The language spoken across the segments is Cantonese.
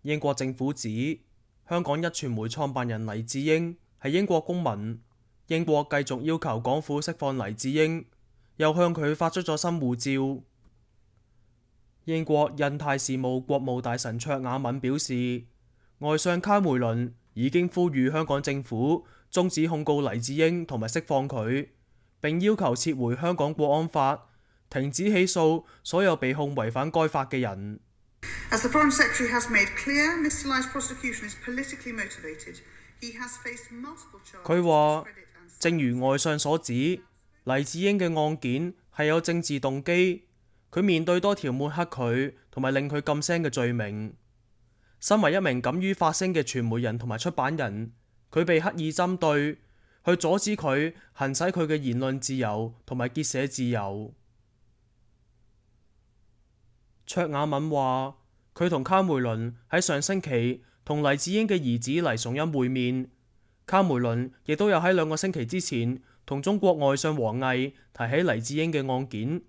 英國政府指香港一傳媒創辦人黎智英係英國公民，英國繼續要求港府釋放黎智英，又向佢發出咗新護照。英國印太事務國務大臣卓雅敏表示，外相卡梅倫已經呼籲香港政府終止控告黎智英同埋釋放佢，並要求撤回香港國安法，停止起訴所有被控違反該法嘅人。As the Foreign Secretary has made clear, Mr. Lai's prosecution is politically motivated. He has faced multiple charges. 佢話，正如外相所指，黎智英嘅案件係有政治動機，佢面對多條抹黑佢同埋令佢噤聲嘅罪名。身為一名敢於發聲嘅傳媒人同埋出版人，佢被刻意針對，去阻止佢行使佢嘅言論自由同埋結社自由。卓雅敏話，佢同卡梅倫喺上星期同黎智英嘅兒子黎崇恩會面，卡梅倫亦都有喺2個星期之前同中國外相王毅提起黎智英嘅案件。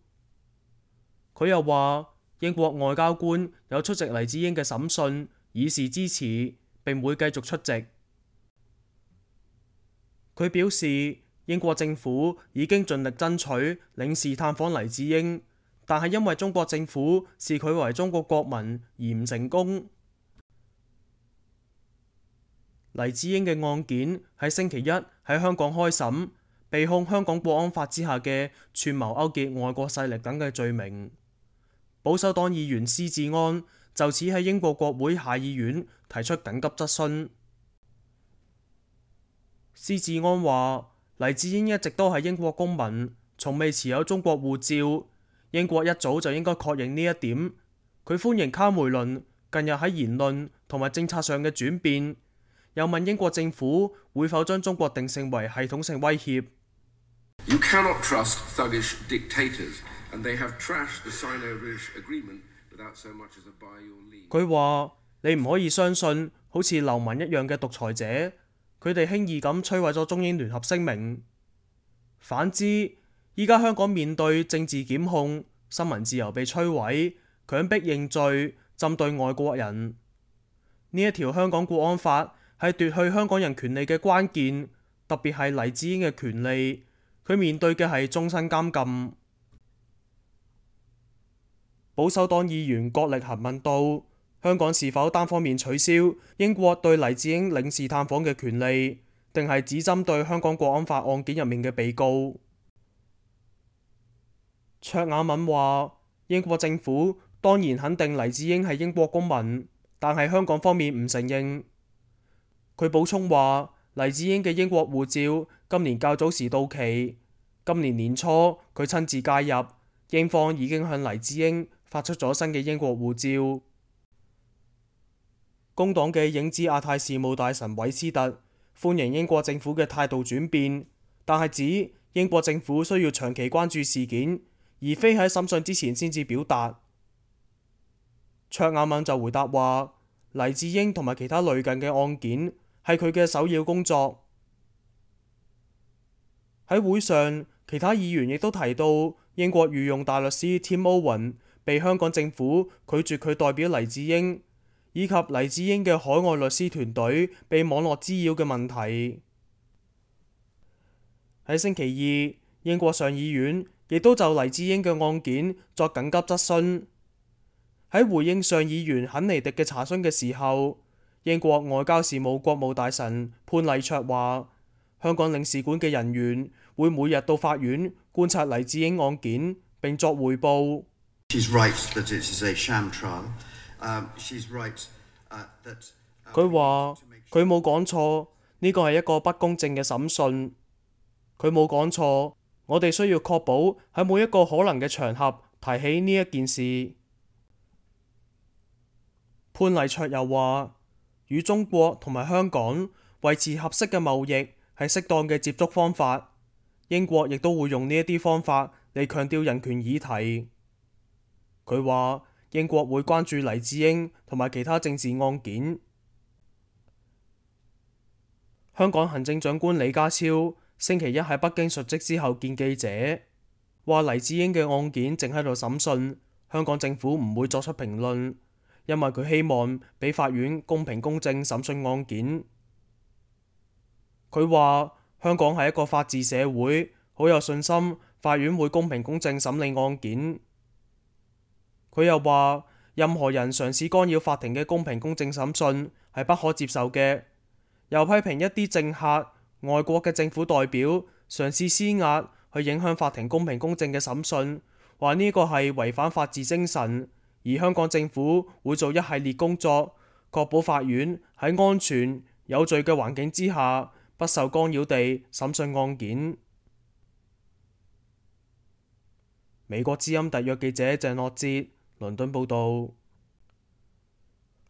佢又話，英國外交官有出席黎智英嘅審訊，以示支持，並會繼續出席。佢表示，英國政府已經盡力爭取領事探訪黎智英，但係因為中國政府視佢為中國國民而唔成功。黎智英嘅案件喺星期一喺香港開審，被控香港國安法之下嘅串謀勾結外國勢力等嘅罪名。保守黨議員施志安就此喺英國國會下議院提出緊急質詢。施志安話，黎智英一直都係英國公民，從未持有中國護照，英國一早就應該確認呢一點。佢歡迎卡梅倫近日喺言論同埋政策上嘅轉變，又問英國政府會否將中國定性為系統性威脅。You cannot trust thuggish dictators, and they have trashed the Sino-British agreement without so much as a by your leave. 佢話：你唔可以相信好似流氓一樣嘅獨裁者，佢哋輕易咁摧毀咗中英聯合聲明。反之，依家香港面對政治檢控、新聞自由被摧毀、強迫認罪、針對外國人，呢一條香港國安法係奪去香港人權利嘅關鍵，特別係黎智英嘅權利，佢面對嘅係終身監禁。保守黨議員郭力行問到，香港是否單方面取消英國對黎智英領事探訪嘅權利，定係只針對香港國安法案件入面嘅被告？卓雅敏話：英國政府當然肯定黎智英係英國公民，但係香港方面唔承認。佢補充話，黎智英嘅英國護照今年較早時到期，今年年初佢親自介入，英方已經向黎智英發出咗新嘅英國護照。工黨嘅影子亞太事務大臣韋斯特歡迎英國政府嘅態度轉變，但係指英國政府需要長期關注事件，而非喺審訊之前先至表達。卓雅敏就回答話，黎智英同埋其他類近嘅案件係佢嘅首要工作。喺會上，其他議員亦都提到英國御用大律師 Tim Owen 被香港政府拒絕佢代表黎智英，以及黎智英嘅海外律師團隊被網絡滋擾嘅問題。喺星期二，英國上議院亦都就黎智英嘅案件作緊急質詢。喺回應上議員肯尼迪嘅查詢嘅時候，英國外交事務國務大臣潘禮卓話，香港領事館嘅人員會每日到法院觀察黎智英案件並作彙報。佢話佢冇講錯，呢個係一個不公正嘅審訊。佢冇講錯，我哋需要確保喺每一個可能嘅場合提起呢一件事。潘禮卓又話，與中國同埋香港維持合適嘅貿易係適當嘅接觸方法。英國亦都會用呢一啲方法嚟強調人權議題。佢話英國會關注黎智英同埋其他政治案件。香港行政長官李家超星期一喺北京述職之後見記者，話黎智英嘅案件正喺度審訊，香港政府唔會作出評論，因為佢希望俾法院公平公正審訊案件。佢話香港係一個法治社會，好有信心法院會公平公正審理案件。佢又話任何人嘗試干擾法庭嘅公平公正審訊係不可接受嘅，又批評一啲政客、外國嘅政府代表嘗試施壓去影響法庭公平公正嘅審訊，話呢個係違反法治精神，而香港政府會做一系列工作，確保法院喺安全有序嘅環境之下，不受干擾地審訊案件。美國之音特約記者鄭樂哲倫敦報導。